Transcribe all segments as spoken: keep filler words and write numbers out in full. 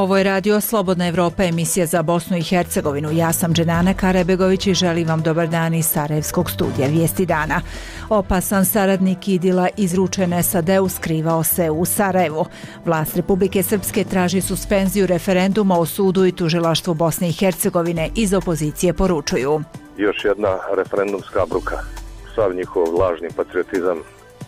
Ovo je Radio Slobodna Evropa, emisija za Bosnu i Hercegovinu. Ja sam Dženana Karabegović i želim vam dobar dan iz Sarajevskog studija Vijesti dana. Opasan saradnik Idila izručen es a de u skrivao se u Sarajevu. Vlast Republike Srpske traži suspenziju referenduma o sudu i tužilaštvu Bosne i Hercegovine. Iz opozicije poručuju: još jedna referendumska bruka. Sav njihov lažni patriotizam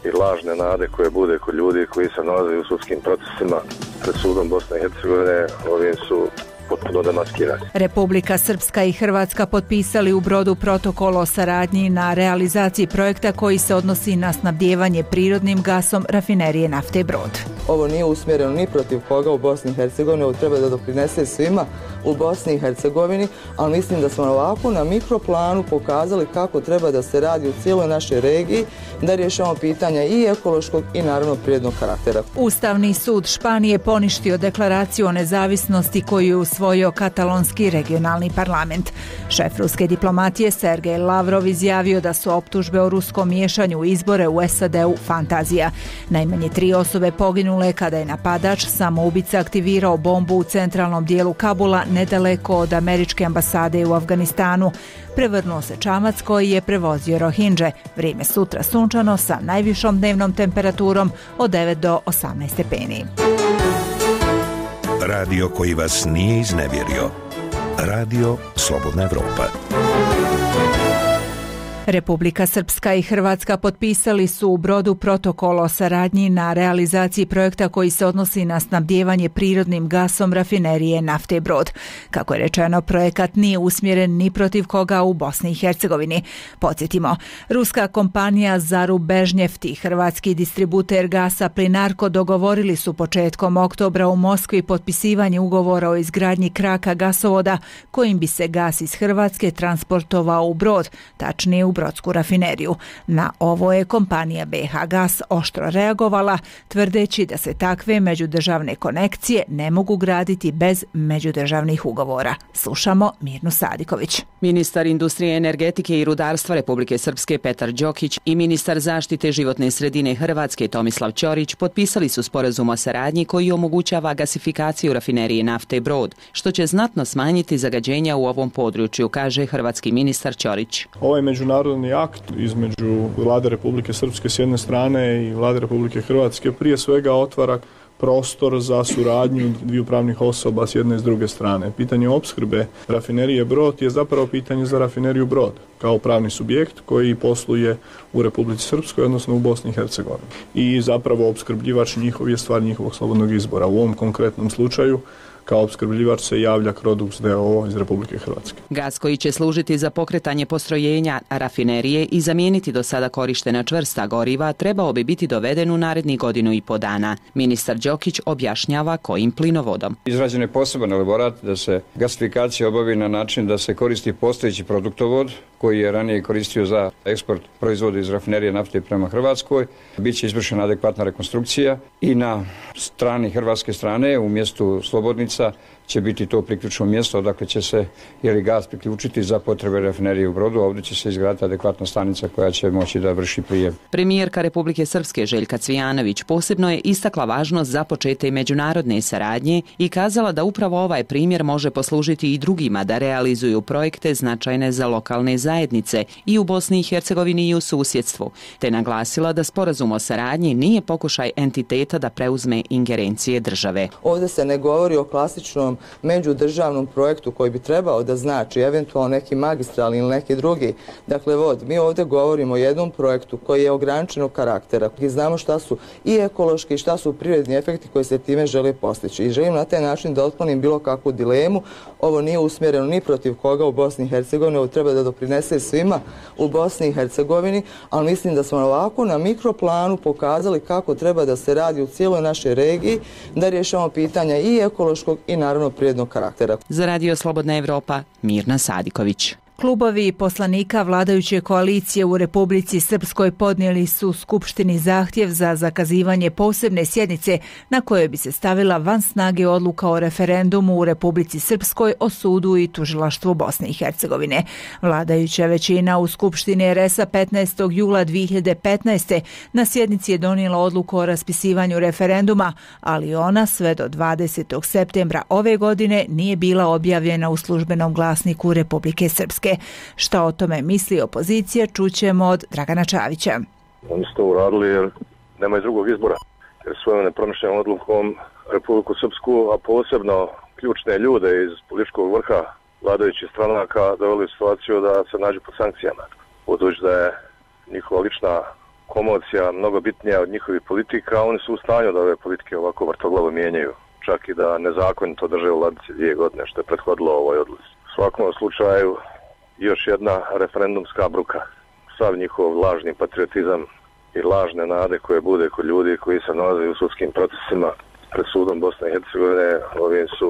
i lažne nade koje bude kod ljudi koji se nalaze u sudskim procesima pred sudom Bosne i Hercegovine, ovim su potpuno demaskirani. Republika Srpska i Hrvatska potpisali u Brodu protokol o saradnji na realizaciji projekta koji se odnosi na snabdijevanje prirodnim gasom rafinerije nafte Brod. Ovo nije usmjereno ni protiv koga u Bosni i Hercegovini, ovo treba da doprinese svima u Bosni i Hercegovini, ali mislim da smo ovako na mikroplanu pokazali kako treba da se radi u cijeloj našoj regiji, da rješavamo pitanja i ekološkog i naravno prirodnog karaktera. Ustavni sud Španije poništio deklaraciju o nezavisnosti koju je usvojio katalonski regionalni parlament. Šef ruske diplomatije Sergej Lavrov izjavio da su optužbe o ruskom miješanju u izbore u es a de-u fantazija. Najmanje tri osobe poginule kada je napadač samoubica aktivirao bombu u centralnom dijelu Kabula nedaleko od američke ambasade u Afganistanu. Prevrnuo se čamac koji je prevozio Rohingje. Vrijeme sutra sunčano sa najvišom dnevnom temperaturom od devet do osamnaest stepeni. Radio koji vas nije iznevjerio. Radio Slobodna Evropa. Republika Srpska i Hrvatska potpisali su u Brodu protokol o saradnji na realizaciji projekta koji se odnosi na snabdijevanje prirodnim gasom rafinerije nafte Brod. Kako je rečeno, projekat nije usmjeren ni protiv koga u Bosni i Hercegovini. Podsjetimo, ruska kompanija Zarubežnjeft i hrvatski distributer gasa Plinarko dogovorili su početkom oktobra u Moskvi potpisivanje ugovora o izgradnji kraka gasovoda kojim bi se gas iz Hrvatske transportovao u Brod, tačnije u Brodsku rafineriju. Na ovo je kompanija be ha Gas oštro reagovala, tvrdeći da se takve međudržavne konekcije ne mogu graditi bez međudržavnih ugovora. Slušamo Mirnu Sadiković. Ministar industrije, energetike i rudarstva Republike Srpske Petar Đokić i ministar zaštite životne sredine Hrvatske Tomislav Ćorić potpisali su sporazum o saradnji koji omogućava gasifikaciju rafinerije nafte Brod, što će znatno smanjiti zagađenja u ovom području, kaže hrvatski ministar Ćorić. Ovaj međunarodni akt između Vlade Republike Srpske s jedne strane i Vlade Republike Hrvatske prije svega otvara prostor za suradnju dviju pravnih osoba s jedne i s druge strane. Pitanje opskrbe rafinerije Brod je zapravo pitanje za rafineriju Brod kao pravni subjekt koji posluje u Republici Srpskoj, odnosno u Bosni i Hercegovini. I zapravo opskrbljivač njihov je stvar njihovog slobodnog izbora. U ovom konkretnom slučaju kao opskrbljivač se javlja Crodux de o o iz Republike Hrvatske. Gas koji će služiti za pokretanje postrojenja rafinerije i zamijeniti do sada korištena čvrsta goriva trebao bi biti doveden u narednih godinu i po dana. Ministar Đokić objašnjava kojim plinovodom. Izrađen je poseban elaborat da se gasifikacija obavi na način da se koristi postojeći produktovod koji je ranije koristio za eksport proizvoda iz rafinerije nafte prema Hrvatskoj. Biće izvršena adekvatna rekonstrukcija i na strani hrvatske strane u mjestu Slobodnica će biti to priključno mjesto, dakle će se jeli gas priključiti za potrebe rafinerije u Brodu, a ovdje će se izgraditi adekvatna stanica koja će moći da vrši prijem. Premijerka Republike Srpske Željka Cvijanović posebno je istakla važnost započete međunarodne saradnje i kazala da upravo ovaj primjer može poslužiti i drugima da realizuju projekte značajne za lokalne zajednice i u Bosni i Hercegovini i u susjedstvu, te naglasila da sporazum o saradnji nije pokušaj entiteta da preuzme ingerencije države. Ovdje se ne govori o klasičnom međudržavnom projektu koji bi trebao da znači eventualno neki magistralni ili neki drugi, dakle vod. Mi ovdje govorimo o jednom projektu koji je ograničenog karaktera i znamo šta su i ekološki i šta su prirodni efekti koji se time žele postići. I želim na taj način da otklonim bilo kakvu dilemu. Ovo nije usmjereno ni protiv koga u Bosni i Hercegovini, ovo treba da doprinese svima u Bosni i Hercegovini, ali mislim da smo ovako na mikroplanu pokazali kako treba da se radi u cijeloj našoj regiji, da rješavamo pitanja i ekološkog i naravno prirodnog karaktera. Za Radio Slobodna Evropa, Mirna Sadiković. Klubovi poslanika vladajuće koalicije u Republici Srpskoj podnijeli su Skupštini zahtjev za zakazivanje posebne sjednice na kojoj bi se stavila van snage odluka o referendumu u Republici Srpskoj o sudu i tužilaštvu Bosne i Hercegovine. Vladajuća većina u Skupštini er es a petnaestog jula dvije hiljade petnaeste. na sjednici je donijela odluku o raspisivanju referenduma, ali ona sve do dvadesetog septembra ove godine nije bila objavljena u službenom glasniku Republike Srpske. Šta o tome misli opozicija, čućemo od Dragana Čavića. Oni su to uradili jer nemaju drugog izbora. Jer svojom nepromišljenom odlukom Republiku Srpsku, a posebno ključne ljude iz političkog vrha vladajućih stranaka doveli u situaciju da se nađu pod sankcijama. Budući da je njihova lična komocija mnogo bitnija od njihovih politika, oni su u stanju da ove politike ovako vrtoglavo mijenjaju. Čak i da nezakonito drže u ladici dvije godine, što je prethodilo ovoj odluci. U svakom slučaju još jedna referendumska bruka. Sav njihov lažni patriotizam i lažne nade koje bude kod ljudi koji se nalaze u sudskim procesima pred sudom Bosne i Hercegovine, ovim su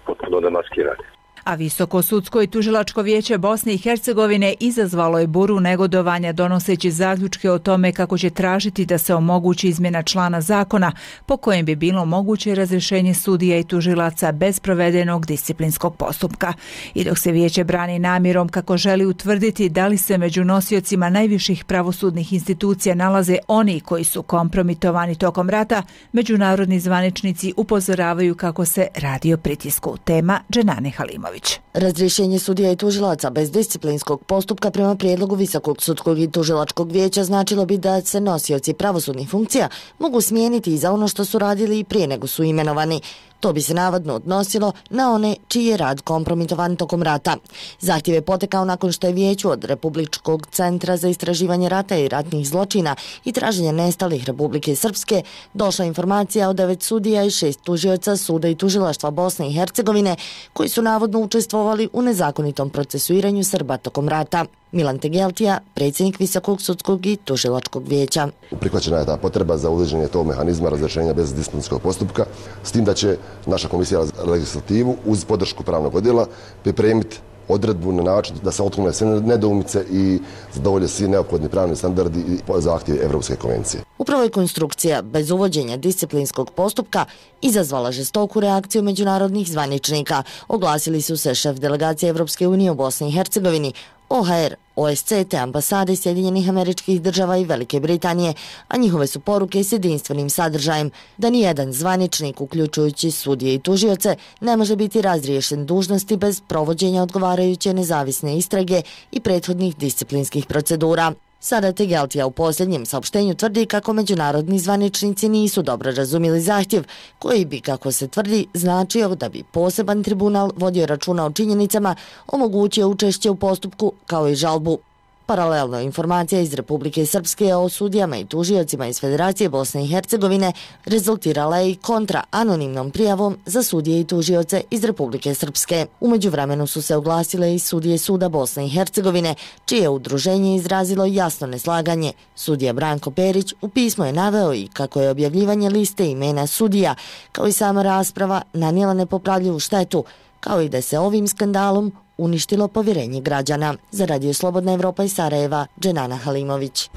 potpuno demaskirani. A Visoko sudsko i tužilačko vijeće Bosne i Hercegovine izazvalo je buru negodovanja donoseći zaključke o tome kako će tražiti da se omogući izmjena člana zakona po kojem bi bilo moguće razrješenje sudija i tužilaca bez provedenog disciplinskog postupka. I dok se vijeće brani namjerom kako želi utvrditi da li se među nosiocima najviših pravosudnih institucija nalaze oni koji su kompromitovani tokom rata, međunarodni zvaničnici upozoravaju kako se radi o pritisku. Tema Dženane Halimović. Razrješenje sudija i tužilaca bez disciplinskog postupka prema prijedlogu Visokog sudskog i tužilačkog vijeća značilo bi da se nosioci pravosudnih funkcija mogu smijeniti i za ono što su radili i prije nego su imenovani. To bi se navodno odnosilo na one čiji je rad kompromitovan tokom rata. Zahtjev je potekao nakon što je vijeću od Republičkog centra za istraživanje rata i ratnih zločina i traženja nestalih Republike Srpske došla informacija o devet sudija i šest tužioca suda i tužilaštva Bosne i Hercegovine koji su navodno učestvovali u nezakonitom procesuiranju Srba tokom rata. Milan Tegeltija, predsjednik Visokog sudskog i tužilačkog vijeća. Prihvaćena je ta potreba za uvođenje tog mehanizma razrješenja bez disciplinskog postupka, s tim da će naša komisija za legislativu uz podršku pravnog odjela pripremiti odredbu na način da se otklone sve nedoumice i zadovolje svi neophodni pravni standardi i zahtjevi Evropske konvencije. Upravo je konstrukcija bez uvođenja disciplinskog postupka izazvala žestoku reakciju međunarodnih zvaničnika. Oglasili su se šef delegacije Evropske unije u Bosni i Hercegovini, O H R, O S C te ambasade Sjedinjenih Američkih Država i Velike Britanije, a njihove su poruke s jedinstvenim sadržajem da nijedan zvaničnik, uključujući sudije i tužioce, ne može biti razriješen dužnosti bez provođenja odgovarajuće nezavisne istrage i prethodnih disciplinskih procedura. Sada Tegeltija u posljednjem saopštenju tvrdi kako međunarodni zvaničnici nisu dobro razumjeli zahtjev, koji bi, kako se tvrdi, značio da bi poseban tribunal vodio računa o činjenicama, omogućio učešće u postupku kao i žalbu. Paralelno, informacija iz Republike Srpske o sudijama i tužiocima iz Federacije Bosne i Hercegovine rezultirala je i kontra anonimnom prijavom za sudije i tužioce iz Republike Srpske. U međuvremenu su se oglasile i sudije Suda Bosne i Hercegovine, čije udruženje izrazilo jasno neslaganje. Sudija Branko Perić u pismu je naveo i kako je objavljivanje liste imena sudija, kao i sama rasprava, nanijela nepopravljivu štetu, kao i da se ovim skandalom uništilo povjerenje građana. Za Radio Slobodna Evropa iz Sarajeva, Dženana Halimović.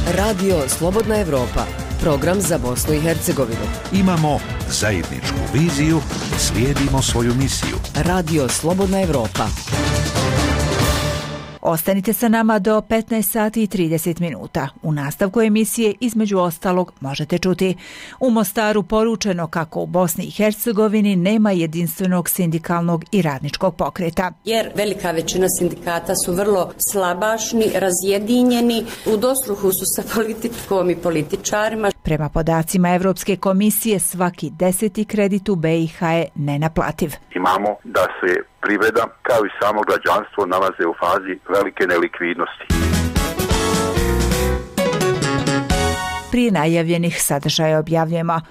Radio Slobodna Evropa, program za Bosnu i Hercegovinu. Imamo zajedničku viziju, slijedimo svoju misiju. Radio Slobodna Evropa. Ostanite sa nama do petnaest sati i trideset minuta. U nastavku emisije između ostalog možete čuti: u Mostaru poručeno kako u Bosni i Hercegovini nema jedinstvenog sindikalnog i radničkog pokreta. Jer velika većina sindikata su vrlo slabašni, razjedinjeni, u dosluhu su sa politikom i političarima. Prema podacima Evropske komisije, svaki deseti kredit u B i H je nenaplativ. Imamo da se privreda kao i samo građanstvo nalaze u fazi velike nelikvidnosti. Prije najavljenih sadržaja objavljujemo: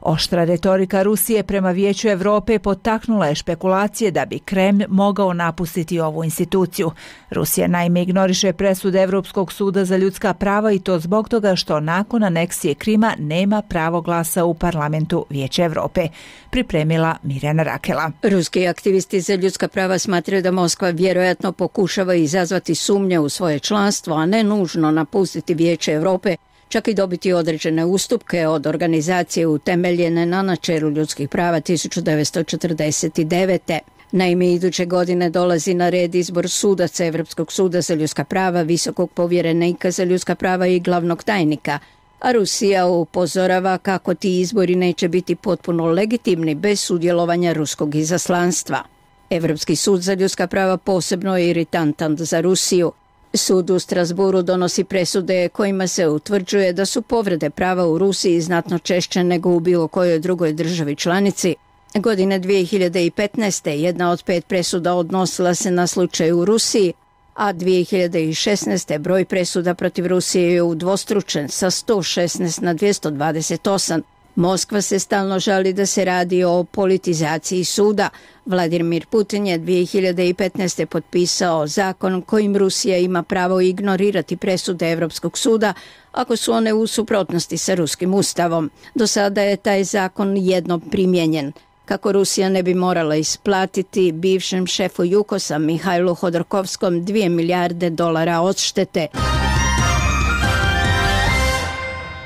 Oštra retorika Rusije prema Vijeću Europe potaknula je špekulacije da bi Kremlj mogao napustiti ovu instituciju. Rusija naime ignoriše presude Europskog suda za ljudska prava i to zbog toga što nakon aneksije Krima nema pravo glasa u parlamentu Vijeća Europe. Pripremila Mirjana Rakela. Ruski aktivisti za ljudska prava smatraju da Moskva vjerojatno pokušava izazvati sumnje u svoje članstvo, a ne nužno napustiti Vijeće Europe, čak i dobiti određene ustupke od organizacije utemeljene na načelu ljudskih prava tisuću devetsto četrdeset devete. Naime, iduće godine dolazi na red izbor sudaca Europskog suda za ljudska prava, visokog povjerenika za ljudska prava i glavnog tajnika, a Rusija upozorava kako ti izbori neće biti potpuno legitimni bez sudjelovanja ruskog izaslanstva. Europski sud za ljudska prava posebno je iritantan za Rusiju. Sud u Strasburu donosi presude kojima se utvrđuje da su povrede prava u Rusiji znatno češće nego u bilo kojoj drugoj državi članici. Godine dvije hiljade petnaeste. jedna od pet presuda odnosila se na slučaj u Rusiji, a dvije hiljade šesnaeste. broj presuda protiv Rusije je udvostručen sa sto šesnaest na dvjesto dvadeset osam. Moskva se stalno žali da se radi o politizaciji suda. Vladimir Putin je dvije hiljade petnaeste. potpisao zakon kojim Rusija ima pravo ignorirati presude Europskog suda ako su one u suprotnosti sa ruskim ustavom. Do sada je taj zakon jednom primijenjen. Kako Rusija ne bi morala isplatiti bivšem šefu Jukosa Mihajlu Hodorkovskom dvije milijarde dolara odštete.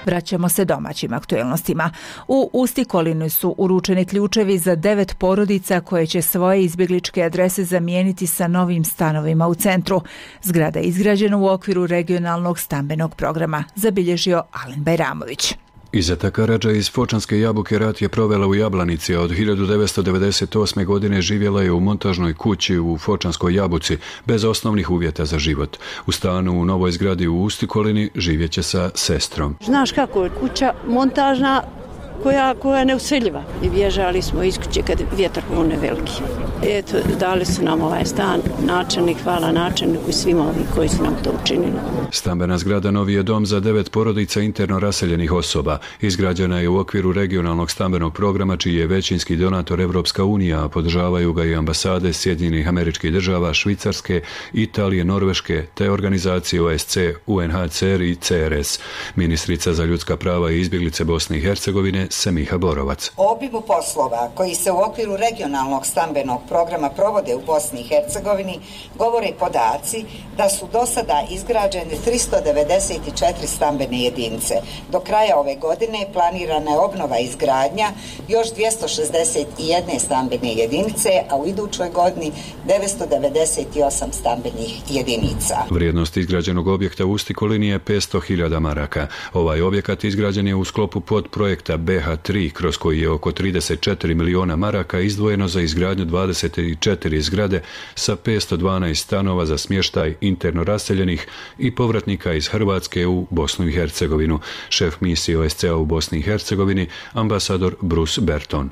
Vraćamo se domaćim aktuelnostima. U Ustikolini su uručeni ključevi za devet porodica koje će svoje izbjegličke adrese zamijeniti sa novim stanovima u centru. Zgrada je izgrađena u okviru regionalnog stambenog programa, zabilježio Alen Bajramović. Izeta Karadža iz Fočanske Jabuke rat je provela u Jablanici, a od hiljadu devetsto devedeset osme. godine živjela je u montažnoj kući u Fočanskoj Jabuci, bez osnovnih uvjeta za život. U stanu u novoj zgradi u Ustikolini živjet će sa sestrom. Znaš kako je kuća montažna, koja, koja je neuseljiva. I bježali smo iz kuće kad je vjetar pune veliki. Eto, dali su nam ovaj stan, načelnik, hvala načelniku i svima ovim koji su nam to učinili. Stambena zgrada novi je dom za devet porodica interno raseljenih osoba. Izgrađena je u okviru regionalnog stambenog programa čiji je većinski donator Evropska unija, a podržavaju ga i ambasade Sjedinjenih Američkih Država, Švicarske, Italije, Norveške, te organizacije O S C, U N H C R i C R S. Ministrica za ljudska prava i izbjeglice Bosne i Hercegovine Semiha Borovac. O obimu poslova koji se u okviru regionalnog stambenog programa provode u Bosni i Hercegovini govore podaci da su do sada izgrađene tristo devedeset četiri stambene jedinice. Do kraja ove godine planirana je obnova i izgradnja još dvjesto šezdeset jedne stambene jedinice, a u idućoj godini devetsto devedeset osam stambenih jedinica. Vrijednost izgrađenog objekta u Ustikolini je petsto hiljada maraka. Ovaj objekat izgrađen je u sklopu podprojekta B H tri, kroz koji je oko trideset četiri miliona maraka izdvojeno za izgradnju dvadeset četiri zgrade sa petsto dvanaest stanova za smještaj interno raseljenih i povratnika iz Hrvatske u Bosnu i Hercegovinu. Šef misije O S C A u Bosni i Hercegovini, ambasador Bruce Berton.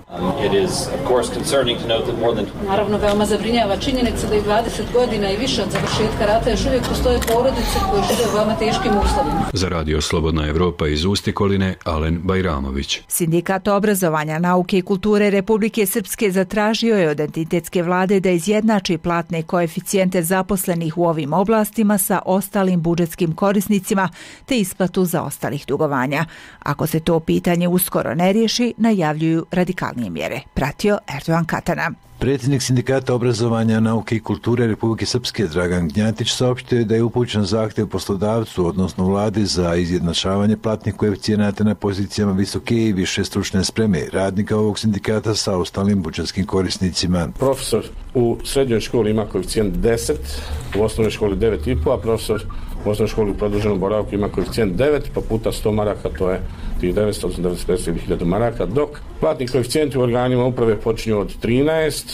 Naravno, veoma zabrinjava činjenica da i dvadeset godina i više od završetka rata još uvijek postoje porodice koje žive u veoma teškim uslovima. Za radio Slobodna Evropa iz Ustikoline, Alen Bajramović. Sindikat obrazovanja, nauke i kulture Republike Srpske zatražio je od entitetske vlade da izjednači platne koeficijente zaposlenih u ovim oblastima sa ostalim budžetskim korisnicima te isplatu za ostalih dugovanja. Ako se to pitanje uskoro ne riješi, najavljuju radikalnije mjere. Pratio Erdogan Katana. Predsjednik Sindikata obrazovanja, nauke i kulture Republike Srpske Dragan Gnjatić saopštio da je upućen zahtjev poslodavcu, odnosno vladi, za izjednačavanje platnih koeficijenata na pozicijama visoke i više stručne spreme radnika ovog sindikata sa ostalim budžetskim korisnicima. Profesor u srednjoj školi ima koeficijent deset, u osnovnoj školi devet i po, a profesor u osnovnoj školi u produženom boravku ima koeficijent devet, pa puta sto maraka, to je tih devetsto osamdeset pet hiljada maraka, dok platni koeficijenti u organima uprave počinju od trinaest,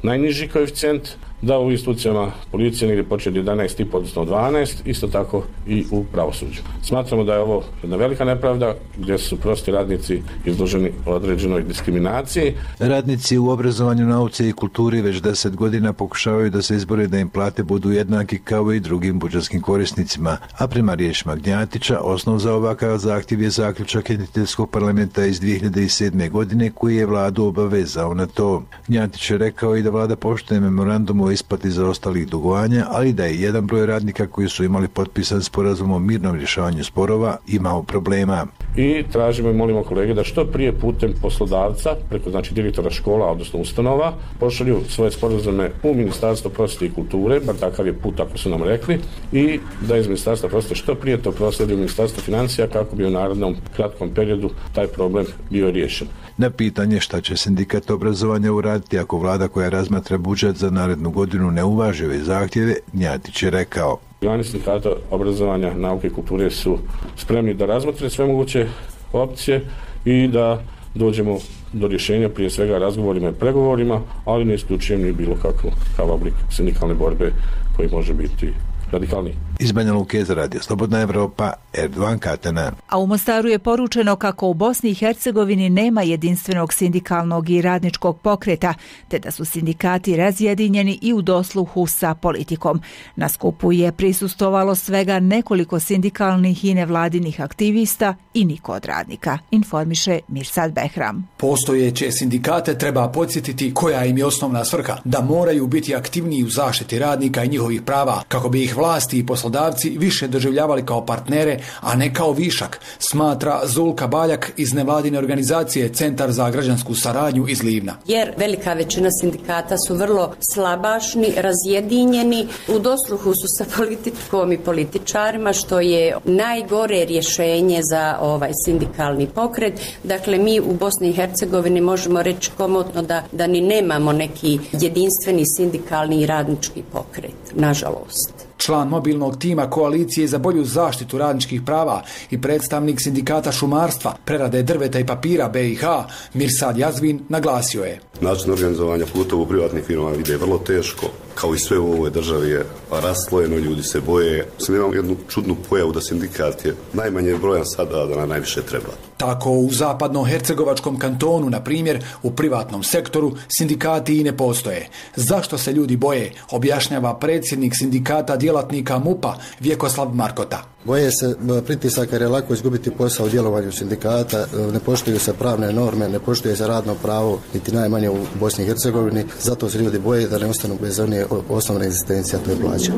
najniži koeficijent, da u institucijama policije negdje početi jedanaest i pol, odnosno dvanaest, isto tako i u pravosuđu. Smatramo da je ovo jedna velika nepravda gdje su prosti radnici izloženi određenoj diskriminaciji. Radnici u obrazovanju, nauci i kulturi već deset godina pokušavaju da se izbore da im plate budu jednaki kao i drugim budžetskim korisnicima, a prema riječima Gnjatića osnov za ovakav zahtjev je zaključak entiteljskog parlamenta iz dvije hiljade sedme. godine koji je vladu obavezao na to. Gnjatić je rekao i da vlada poštuje memorandum o isplati zaostalih dugovanja, ali da je jedan broj radnika koji su imali potpisan sporazum o mirnom rješavanju sporova imao problema. I tražimo i molimo kolege da što prije putem poslodavca, preko znači direktora škola, odnosno ustanova, pošalju svoje sporazume u Ministarstvo prosvjete i kulture, bar takav je put ako su nam rekli, i da iz Ministarstva prosvjete što prije to prosledi u Ministarstvo financija kako bi u narednom kratkom periodu taj problem bio riješen. Na pitanje šta će sindikat obrazovanja uraditi ako vlada koja razmatra budžet za narednu godinu ne uvaži ove zahtjeve, Gnjatić je rekao. Organi sindikata obrazovanja, nauke i kulture su spremni da razmotre sve moguće opcije i da dođemo do rješenja, prije svega razgovorima i pregovorima, ali ne isključujem ni bilo kakav oblik sindikalne borbe koji može biti radikalni. Iz Banja Luke za Radio Slobodna Evropa, Erdovan Katana. A u Mostaru je poručeno kako u Bosni i Hercegovini nema jedinstvenog sindikalnog i radničkog pokreta, te da su sindikati razjedinjeni i u dosluhu sa politikom. Na skupu je prisustvovalo svega nekoliko sindikalnih i nevladinih aktivista i niko od radnika, informiše Mirsad Behram. Postojeće sindikate treba podsjetiti koja im je osnovna svrha, da moraju biti aktivniji u zaštiti radnika i njihovih prava, kako bi ih vlasti i poslodavci više doživljavali kao partnere, a ne kao višak, smatra Zulka Baljak iz nevladine organizacije Centar za građansku saradnju iz Livna. Jer velika većina sindikata su vrlo slabašni, razjedinjeni, u dosluhu su sa politikom i političarima, što je najgore rješenje za ovaj sindikalni pokret. Dakle, mi u Bosni i Hercegovini možemo reći komotno da, da ni nemamo neki jedinstveni sindikalni i radnički pokret, nažalost. Član mobilnog tima koalicije za bolju zaštitu radničkih prava i predstavnik sindikata šumarstva, prerade drveta i papira B i H, Mirsad Jazvin, naglasio je. Način organizovanja putova u privatnim firmama ide vrlo teško, kao i sve u ovoj državi je raslojeno, ljudi se boje. Mislim, imamo jednu čudnu pojavu da sindikat je najmanje brojan sada, da nam najviše treba. Tako u zapadno-hercegovačkom kantonu, na primjer, u privatnom sektoru, sindikati i ne postoje. Zašto se ljudi boje, objašnjava predsjednik sindikata djelatnika MUP-a Vjekoslav Markota. Boje se pritisaka jer je lako izgubiti posao u djelovanju sindikata, ne poštuju se pravne norme, ne poštuje se radno pravo, niti najmanje u Bosni i Hercegovini, zato se ljudi boje da ne ostanu bez one osnovne egzistencije, a to je plaća.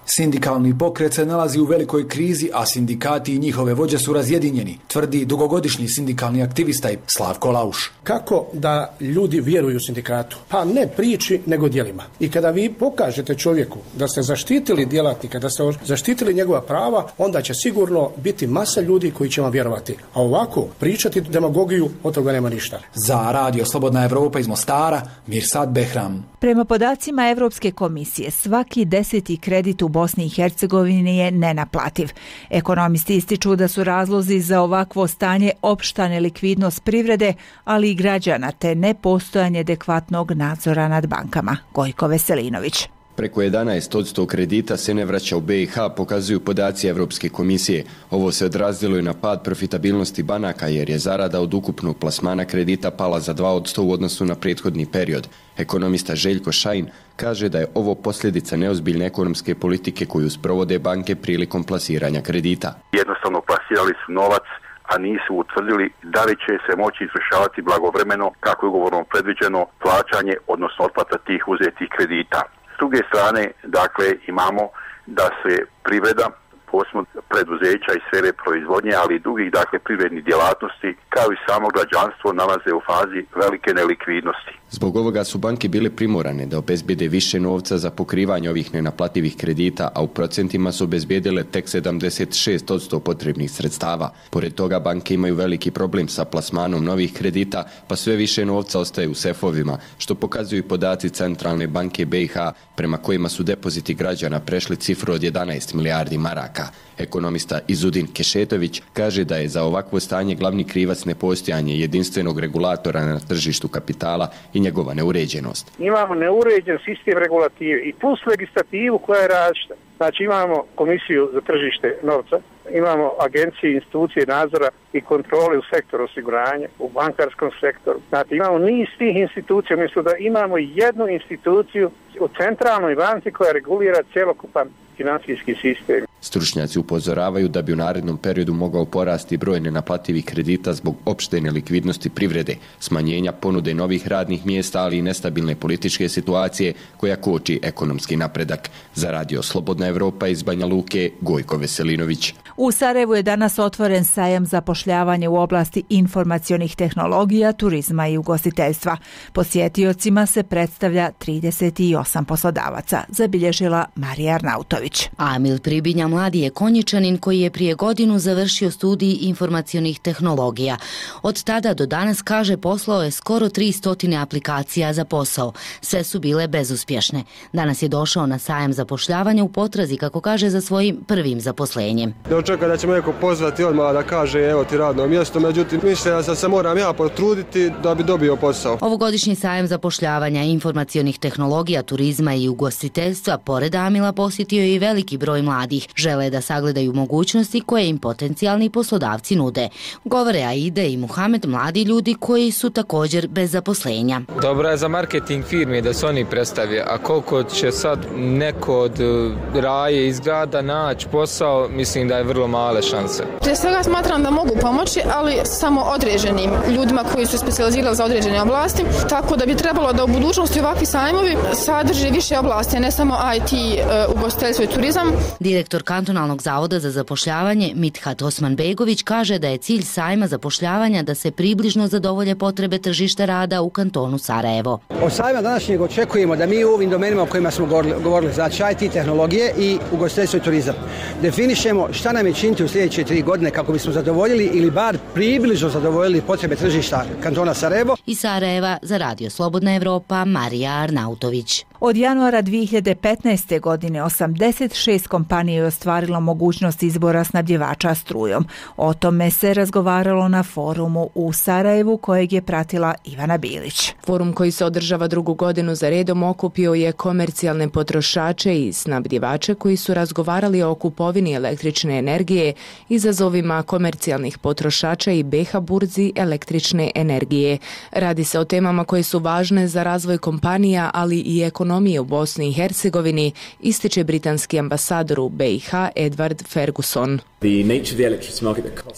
Sindikalni pokret se nalazi u velikoj krizi, a sindikati i njihove vođe su razjedinjeni, tvrdi dugogodišnji sindikalni aktivista Slavko Lauš. Kako da ljudi vjeruju sindikatu? Pa ne priči, nego djelima. I kada vi pokažete čovjeku da ste zaštitili djelatnika, da ste zaštitili njegova prava, onda će sigurno biti masa ljudi koji će vam vjerovati. A ovako, pričati demagogiju, od toga nema ništa. Za Radio Slobodna Evropa iz Mostara, Mirsad Behram. Prema podacima Evropske komisije, svaki deseti kredit u Bosni i Hercegovini je nenaplativ. Ekonomisti ističu da su razlozi za ovakvo stanje opšta nelikvidnost privrede, ali i građana, te nepostojanje adekvatnog nadzora nad bankama. Gojko Veselinović. Preko jedanaest posto kredita se ne vraća u B i H, pokazuju podaci Evropske komisije. Ovo se odrazilo i na pad profitabilnosti banaka, jer je zarada od ukupnog plasmana kredita pala za dva posto u odnosu na prethodni period. Ekonomista Željko Šajn kaže da je ovo posljedica neozbiljne ekonomske politike koju sprovode banke prilikom plasiranja kredita. Jednostavno plasirali su novac, a nisu utvrdili da li će se moći izvršavati blagovremeno, kako je ugovorom predviđeno, plaćanje, odnosno otplata tih uzetih kredita. S druge strane, dakle, imamo da se privreda, posebno preduzeća i sfere proizvodnje, ali i drugih, dakle, privrednih djelatnosti, kao i samo građanstvo, nalaze u fazi velike nelikvidnosti. Zbog ovoga su banke bile primorane da obezbijede više novca za pokrivanje ovih nenaplativih kredita, a u procentima su obezbijedile tek sedamdeset šest posto potrebnih sredstava. Pored toga, banke imaju veliki problem sa plasmanom novih kredita, pa sve više novca ostaje u sefovima, što pokazuju podaci Centralne banke B i H, prema kojima su depoziti građana prešli cifru od jedanaest milijardi maraka. Ekonomista Izudin Kešetović kaže da je za ovakvo stanje glavni krivac nepostojanje jedinstvenog regulatora na tržištu kapitala i i njegova neuređenost. Imamo neuređen sistem regulative i plus legislativu koja je različita. Znači imamo komisiju za tržište novca, imamo agencije, institucije nadzora i kontrole u sektoru osiguranja, u bankarskom sektoru. Znači imamo niz tih institucija, umjesto da imamo jednu instituciju u centralnoj banci koja regulira cjelokupan financijski sistem. Stručnjaci upozoravaju da bi u narednom periodu mogao porasti broj nenaplativih kredita zbog opšte nelikvidnosti privrede, smanjenja ponude novih radnih mjesta, ali i nestabilne političke situacije koja koči ekonomski napredak. Za Radio Slobodna Evropa iz Banja Luke, Gojko Veselinović. U Sarajevu je danas otvoren sajam zapošljavanja u oblasti informacionih tehnologija, turizma i ugostiteljstva. Posjetiocima se predstavlja trideset osam poslodavaca, zabilježila Marija Arnautović. Amil Pribinja mladi je Konjičanin koji je prije godinu završio studij informacionih tehnologija. Od tada do danas, kaže, poslao je skoro tristo aplikacija za posao. Sve su bile bezuspješne. Danas je došao na sajam zapošljavanja u potrazi, kako kaže, za svojim prvim zaposlenjem. Čeka da će me neko pozvati odmah da kaže evo ti radno mjesto, međutim mislim da se moram ja potruditi da bi dobio posao. Ovogodišnji sajam zapošljavanja informacionih tehnologija, turizma i ugostiteljstva pored Amila posjetio je i veliki broj mladih. Žele da sagledaju mogućnosti koje im potencijalni poslodavci nude. Govore Aide i Muhamed, mladi ljudi koji su također bez zaposlenja. Dobro je za marketing firme da se oni predstavije, a koliko će sad neko od raje izgrada naći posao, mislim da je vrlo male šanse. Prije svega smatram da mogu pomoći, ali samo određenim ljudima koji su specijalizirali za određene oblasti, tako da bi trebalo da u budućnosti ovakvi sajmovi sadrže više oblasti, ne samo I T, ugostiteljstvo i turizam. Direktor kantonalnog zavoda za zapošljavanje Mithat Osmanbegović kaže da je cilj sajma zapošljavanja da se približno zadovolje potrebe tržišta rada u kantonu Sarajevo. Od sajma današnjeg očekujemo da mi u ovim domenima o kojima smo govorili, znači I T tehnologije i ugostiteljstvo i turizam, definišemo šta nam je činiti u sljedeće tri godine kako bismo zadovoljili ili bar približno zadovoljili potrebe tržišta kantona Sarajevo. Iz Sarajeva za Radio Slobodna Evropa, Marija Arnautović. Od januara dvije hiljade petnaeste. godine osamdeset šest kompanija je ostvarilo mogućnost izbora snabdjevača strujom. O tome se razgovaralo na forumu u Sarajevu kojeg je pratila Ivana Bilić. Forum koji se održava drugu godinu za redom okupio je komercijalne potrošače i snabdjevače koji su razgovarali o kupovini električne energije, izazovima komercijalnih potrošača i B H burzi električne energije. Radi se o temama koje su važne za razvoj kompanija, ali i ekonomije u Bosni i Hercegovini, ističe britanski ambasador u B i H Edward Ferguson.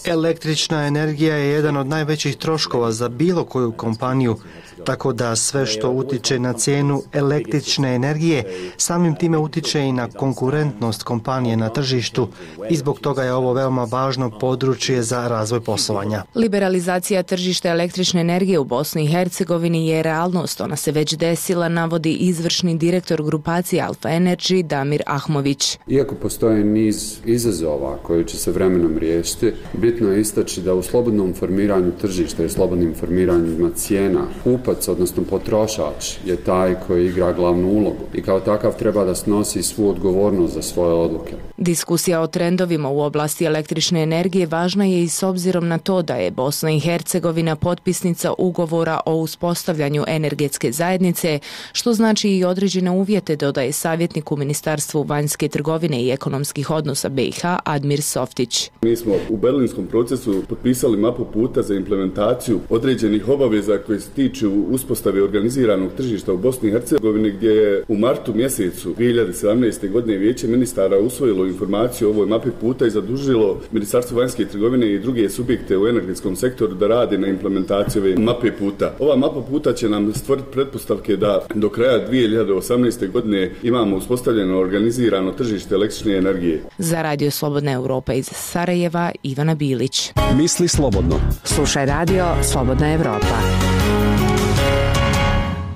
Električna energija je jedan od najvećih troškova za bilo koju kompaniju, tako da sve što utiče na cijenu električne energije samim time utiče i na konkurentnost kompanije na tržištu i zbog toga je ovo veoma važno područje za razvoj poslovanja. Liberalizacija tržišta električne energije u Bosni i Hercegovini je realnost. Ona se već desila, navodi izvršni direktor grupacije Alfa Energy Damir Ahmović. Iako postoje niz izazova koji će se vremenom riješiti, bitno je istaći da u slobodnom formiranju tržišta i slobodnim formiranjima cijena kupac, odnosno potrošač, je taj koji igra glavnu ulogu i kao takav treba da snosi svu odgovornost za svoje odluke. Diskusija o trendovima u oblasti električne energije važna je i s obzirom na to da je Bosna i Hercegovina potpisnica ugovora o uspostavljanju energetske zajednice, što znači i određene uvjete, dodaje savjetnik u Ministarstvu vanjske trgovine i ekonomskih odnosa B i H Admir Softić. Mi smo u berlinskom procesu potpisali mapu puta za implementaciju određenih obaveza koje se tiču uspostave organiziranog tržišta u Bosni i Hercegovini, gdje je u martu mjesecu dvije hiljade sedamnaeste. godine Vijeće ministara usvojilo informaciju o ovoj mapi puta i zadužilo Ministarstvo vanjske trgovine i druge subjekte u energetskom sektoru da rade na implementaciji ove mape puta. Ova mapa puta će nam stvoriti pretpostavke da do kraja dvije hiljade osamnaeste. godine imamo uspostavljeno organizirano tržište električne energije. Za Radio Slobodna Evropa iz Sarajeva, Ivana Bilić. Misli slobodno. Slušaj Radio Slobodna Evropa.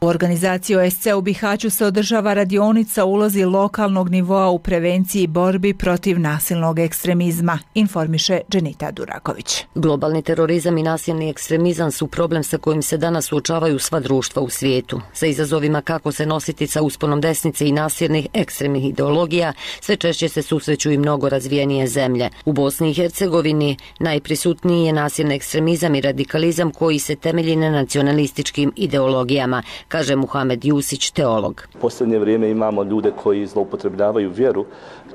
U organizaciji O S C u Bihaću se održava radionica o ulozi lokalnog nivoa u prevenciji i borbi protiv nasilnog ekstremizma, informiše Dženita Duraković. Globalni terorizam i nasilni ekstremizam su problem sa kojim se danas suočavaju sva društva u svijetu. Sa izazovima kako se nositi sa usponom desnice i nasilnih ekstremnih ideologija, sve češće se susreću i mnogo razvijenije zemlje. U Bosni i Hercegovini najprisutniji je nasilni ekstremizam i radikalizam koji se temelji na nacionalističkim ideologijama, kaže Muhamed Jusić, teolog. U posljednje vrijeme imamo ljude koji zloupotrebljavaju vjeru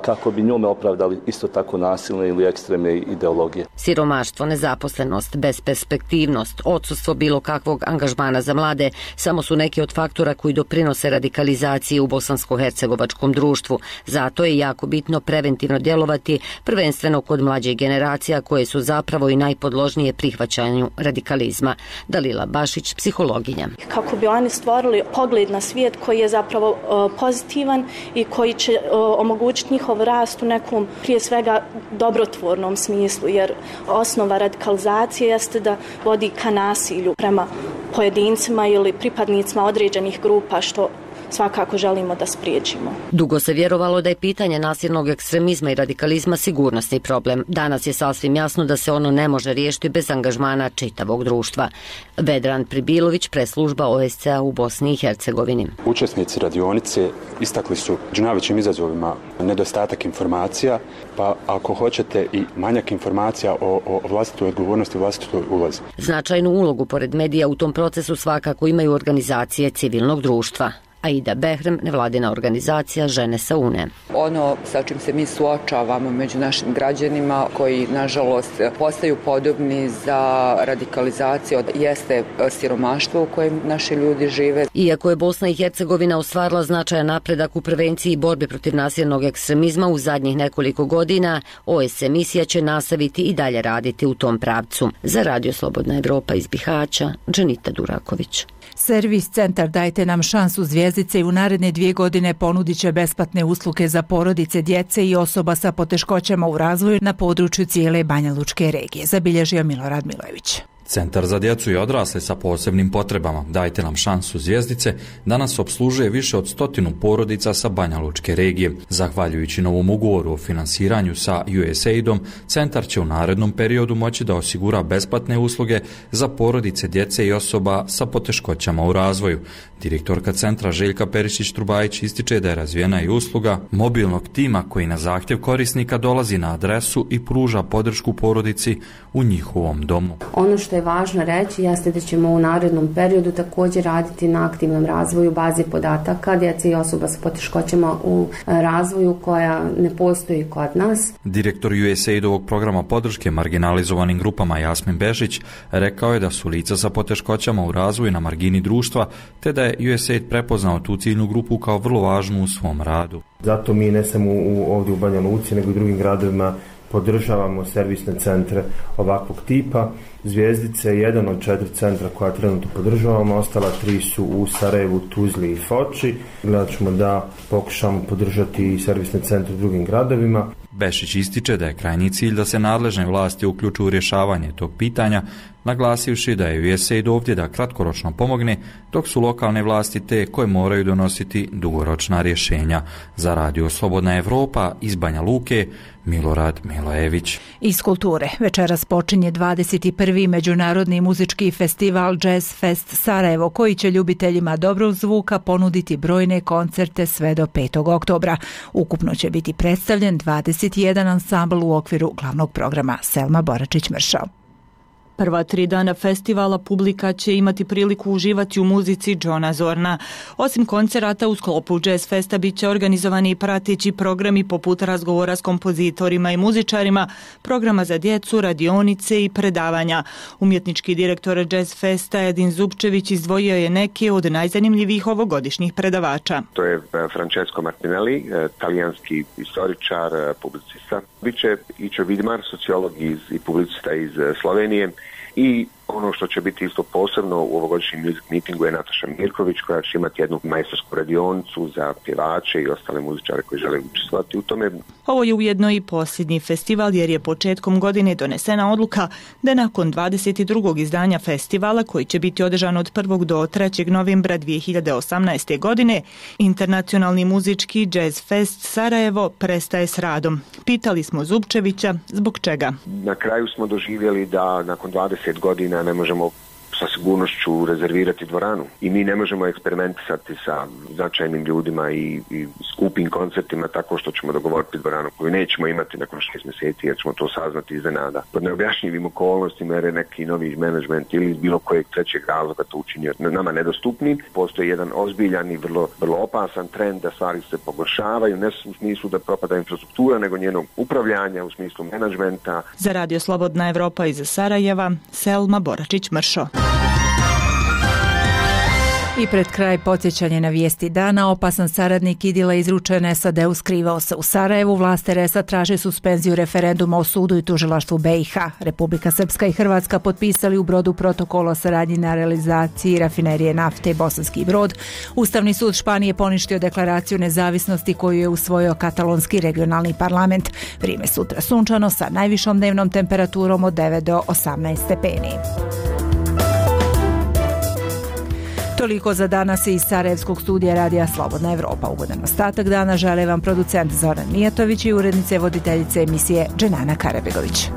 kako bi njome opravdali isto tako nasilne ili ekstremne ideologije. Siromaštvo, nezaposlenost, besperspektivnost, odsustvo bilo kakvog angažmana za mlade samo su neki od faktora koji doprinose radikalizaciji u bosansko-hercegovačkom društvu. Zato je jako bitno preventivno djelovati, prvenstveno kod mlađih generacija koje su zapravo i najpodložnije prihvaćanju radikalizma. Dalila Bašić, psihologinja. Kako bi oni stvorili pogled na svijet koji je zapravo uh, pozitivan i koji će uh, omogućiti njihov rast u nekom prije svega dobrotvornom smislu, jer osnova radikalizacije jeste da vodi ka nasilju prema pojedincima ili pripadnicima određenih grupa, što svakako želimo da spriječimo. Dugo se vjerovalo da je pitanje nasilnog ekstremizma i radikalizma sigurnosni problem. Danas je sasvim jasno da se ono ne može riješiti bez angažmana čitavog društva. Vedran Pribilović, preslužba O S C-a u Bosni i Hercegovini. Učesnici radionice istakli su među najvećim izazovima nedostatak informacija, pa ako hoćete i manjak informacija o, o vlastitoj odgovornosti, vlastitoj ulozi. Značajnu ulogu pored medija u tom procesu svakako imaju organizacije civilnog društva. Aida Behrem, nevladina organizacija Žene sa Une. Ono sa čim se mi suočavamo među našim građanima koji nažalost postaju podobni za radikalizaciju jeste siromaštvo u kojem naši ljudi žive. Iako je Bosna i Hercegovina ostvarila značajan napredak u prevenciji i borbi protiv nasilnog ekstremizma u zadnjih nekoliko godina, O S C misija će nastaviti i dalje raditi u tom pravcu. Za Radio Slobodna Evropa iz Bihaća, Dženita Duraković. Servis Centar Dajte nam šansu Zvijezdice i u naredne dvije godine ponudit će besplatne usluge za porodice, djece i osoba sa poteškoćama u razvoju na području cijele Banja Lučke regije, zabilježio Milorad Milojević. Centar za djecu i odrasle sa posebnim potrebama Dajte nam šansu Zvijezdice danas opslužuje više od stotinu porodica sa Banja Lučke regije. Zahvaljujući novom ugovoru o finansiranju sa U S A I D-om, centar će u narednom periodu moći da osigura besplatne usluge za porodice, djece i osoba sa poteškoćama u razvoju. Direktorka centra Željka Perišić-Trubajić ističe da je razvijena i usluga mobilnog tima koji na zahtjev korisnika dolazi na adresu i pruža podršku porodici u njihovom domu. Ono što je važno reći jeste da ćemo u narednom periodu također raditi na aktivnom razvoju baze podataka djece i osoba s poteškoćama u razvoju koja ne postoji kod nas. Direktor U S A I D-ovog programa podrške marginalizovanim grupama Jasmin Bešić rekao je da su lica sa poteškoćama u razvoju na margini društva, te da je U S A I D prepoznao tu ciljnu grupu kao vrlo važnu u svom radu. Zato mi ne samo u, ovdje u Banja Luci, nego i drugim gradovima podržavamo servisne centre ovakvog tipa. Zvijezdice je jedan od četiri centra koja trenutno podržavamo, ostala tri su u Sarajevu, Tuzli i Foči. Gledat ćemo da pokušamo podržati i servisne centre u drugim gradovima. Bešić ističe da je krajnji cilj da se nadležne vlasti uključuju u rješavanje tog pitanja, naglasivši da je U S A I D ovdje da kratkoročno pomogne, dok su lokalne vlasti te koje moraju donositi dugoročna rješenja. Za Radio Slobodna Evropa iz Banja Luke, Milorad Milojević. Iz kulture večeras počinje dvadeset prvi međunarodni muzički festival Jazz Fest Sarajevo, koji će ljubiteljima dobrog zvuka ponuditi brojne koncerte sve do petog oktobra. Ukupno će biti predstavljen dvadeset jedan ansambl u okviru glavnog programa. Selma Boračić-Mršao. Prva tri dana festivala publika će imati priliku uživati u muzici Johna Zorna. Osim koncerata u sklopu Jazz Festa bit će organizovani i prateći programi poput razgovora s kompozitorima i muzičarima, programa za djecu, radionice i predavanja. Umjetnički direktor Jazz Festa Edin Zupčević izdvojio je neke od najzanimljivijih ovogodišnjih predavača. To je Francesco Martinelli, talijanski istoričar, publicista. Biće Ičo Vidmar, sociolog iz, i publicista iz Slovenije, i Ono što će biti isto posebno u ovogodišnjem music meetingu je Nataša Mirković, koja će imati jednu majstorsku radionicu za pjevače i ostale muzičare koji žele učestvovati u tome. Ovo je ujedno i posljednji festival jer je početkom godine donesena odluka da nakon dvadeset drugog izdanja festivala, koji će biti održan od prvog do trećeg novembra dvije hiljade osamnaeste. godine, Internacionalni muzički Jazz Fest Sarajevo prestaje s radom. Pitali smo Zupčevića zbog čega. Na kraju smo doživjeli da nakon dvadeset godina ne možemo sa sigurnošću rezervirati dvoranu i mi ne možemo eksperimentisati sa značajnim ljudima i, i skupim koncertima tako što ćemo dogovoriti dvoranu koju nećemo imati nakon šest mjeseci jer ćemo to saznati iznenada. Pod neobjašnjivim okolnostima jer je neki novi menadžment ili iz bilo kojeg trećeg razloga to učinio nama nedostupnim. Postoji jedan ozbiljan i vrlo, vrlo opasan trend da stvari se pogoršavaju, ne u smislu da propada infrastruktura, nego njenog upravljanja u smislu menadžmenta. Za Radio Slobodna Evropa iz Sarajeva, Selma Boračić-Mršo. I pred kraj podsjećanje na vijesti dana. Opasan saradnik Idila izručen S A D-u skrivao se u Sarajevu. Vlasti R S A traže suspenziju referenduma o sudu i tužilaštvu B i H. Republika Srpska i Hrvatska potpisali u Brodu protokol o saradnji na realizaciji rafinerije nafte Bosanski Brod. Ustavni sud Španije poništio deklaraciju nezavisnosti koju je usvojio katalonski regionalni parlament. Vrijeme sutra sunčano sa najvišom dnevnom temperaturom od devet do osamnaest stepeni. Toliko za danas iz Sarajevskog studija Radija Slobodna Evropa. Ugodan ostatak dana žele vam producent Zoran Mijatović i urednice voditeljice emisije Dženana Karabegović.